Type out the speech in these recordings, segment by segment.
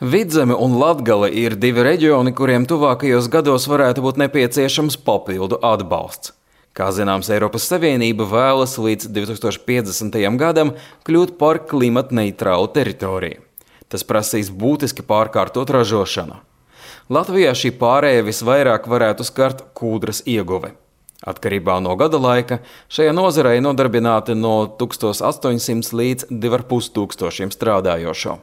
Vidzeme un Latgale ir divi reģioni, kuriem tuvākajos gados varētu būt nepieciešams papildu atbalsts. Kā zināms, Eiropas Savienība vēlas līdz 2050. gadam kļūt par klimatneitrālu teritoriju. Tas prasīs būtiski pārkārtot ražošanu. Latvijā šī pārēja visvairāk varētu skart kūdras ieguve. Atkarībā no gada laika šajā nozarei nodarbināti no 1800 līdz 2500 strādājošo.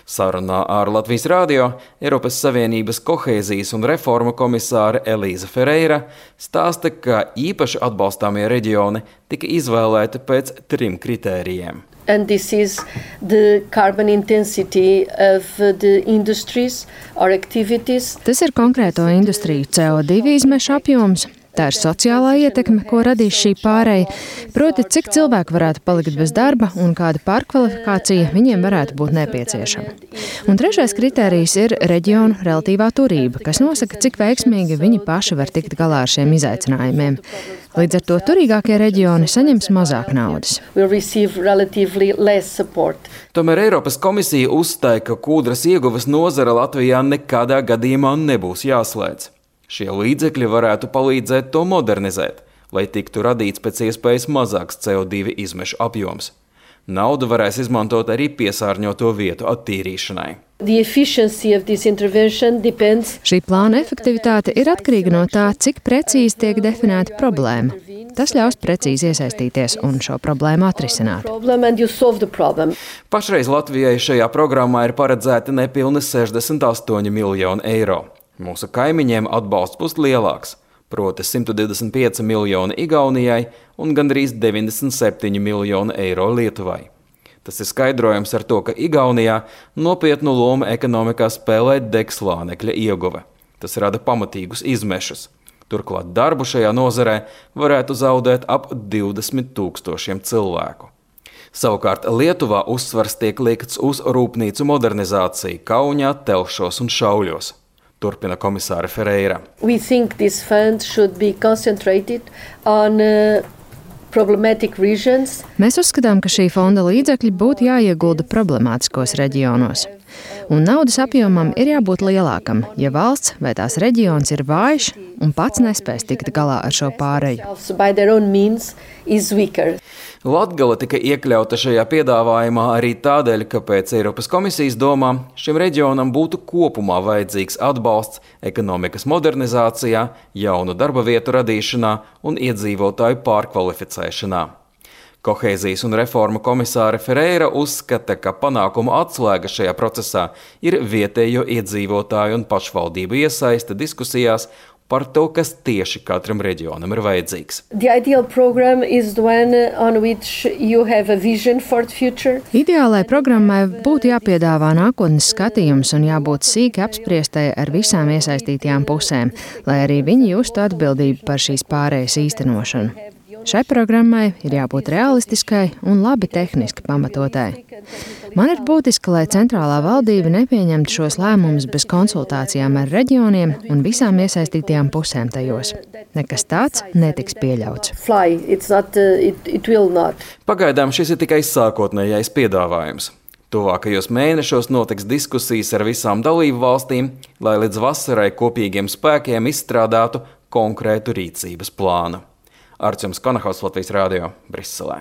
Sarunā ar Latvijas radio Eiropas Savienības kohēzijas un reformu komisāre Elīza Ferreira stāsta, ka īpaši atbalstāmie reģioni tika izvēlēti pēc 3 kritērijiem. And this is the carbon intensity of the industries or activities. Tas ir konkrēto industriju CO2 izmešu apjoms. Tā ir sociālā ietekme, ko radīs šī pārēja, proti, cik cilvēku varētu palikt bez darba un kāda pārkvalifikācija viņiem varētu būt nepieciešama. Un trešais kritērijs ir reģionu relatīvā turība, kas nosaka, cik veiksmīgi viņi paši var tikt galā ar šiem izaicinājumiem. Līdz ar to turīgākie reģioni saņems mazāk naudas. Tomēr Eiropas komisija uzstāja, ka kūdras ieguves nozara Latvijā nekādā gadījumā nebūs jāslēdz. Šie līdzekļi varētu palīdzēt to modernizēt, lai tiktu radīts pēc iespējas mazāks CO2 izmešu apjoms. Naudu varēs izmantot arī piesārņoto vietu attīrīšanai. Šī plāna efektivitāte ir atkarīga no tā, cik precīzi tiek definēta problēma. Tas ļaus precīzi iesaistīties un šo problēmu atrisināt. Pašreiz Latvijai šajā programmā ir paredzēti nepilni 68 miljoni eiro. Mūsu kaimiņiem atbalsts būs lielāks, proti 125 miljoni Igaunijai un gandrīz 97 miljoni eiro Lietuvai. Tas ir skaidrojams ar to, ka Igaunijā nopietnu lomu ekonomikā spēlē degslānekļa ieguve. Tas rada pamatīgus izmešus. Turklāt darbu šajā nozarē varētu zaudēt ap 20 000 cilvēku. Savukārt Lietuvā uzsvars tiek liekts uz rūpnīcu modernizāciju Kaunijā, Telšos un Šauļos. Turpina komisāre Ferreira. Mēs uzskatām, ka šī fonda līdzekļi būtu jāiegulda problemātiskos reģionos. Un naudas apjomam ir jābūt lielākam, ja valsts vai tās reģions ir vājš un pats nespēs tikt galā ar šo pāreju. Latgale tika iekļauta šajā piedāvājumā arī tādēļ, ka pēc Eiropas komisijas domām šim reģionam būtu kopumā vajadzīgs atbalsts ekonomikas modernizācijā, jaunu darba vietu radīšanā un iedzīvotāju pārkvalificēšanā. Kohēzijas un reformu komisāre Ferreira uzskata, ka panākumu atslēga šajā procesā ir vietējo iedzīvotāju un pašvaldību iesaiste diskusijās par to, kas tieši katram reģionam ir vajadzīgs. Ideālai programmai būtu jāpiedāvā nākotnes skatījums un jābūt sīki apspriestai ar visām iesaistītajām pusēm, lai arī viņi justu atbildību par šīs pārējas īstenošanu. Šai programmai ir jābūt realistiskai un labi tehniski pamatotai. Man ir būtiski, lai centrālā valdība nepieņemtu šos lēmumus bez konsultācijām ar reģioniem un visām iesaistītajām pusēm tajos. Nekas tāds netiks pieļauts. Pagaidām šis ir tikai sākotnējais piedāvājums. Tuvākajos mēnešos notiks diskusijas ar visām dalību valstīm, lai līdz vasarai kopīgiem spēkiem izstrādātu konkrētu rīcības plānu. Arčuns Konahaus, Latvijas radio, Briselē.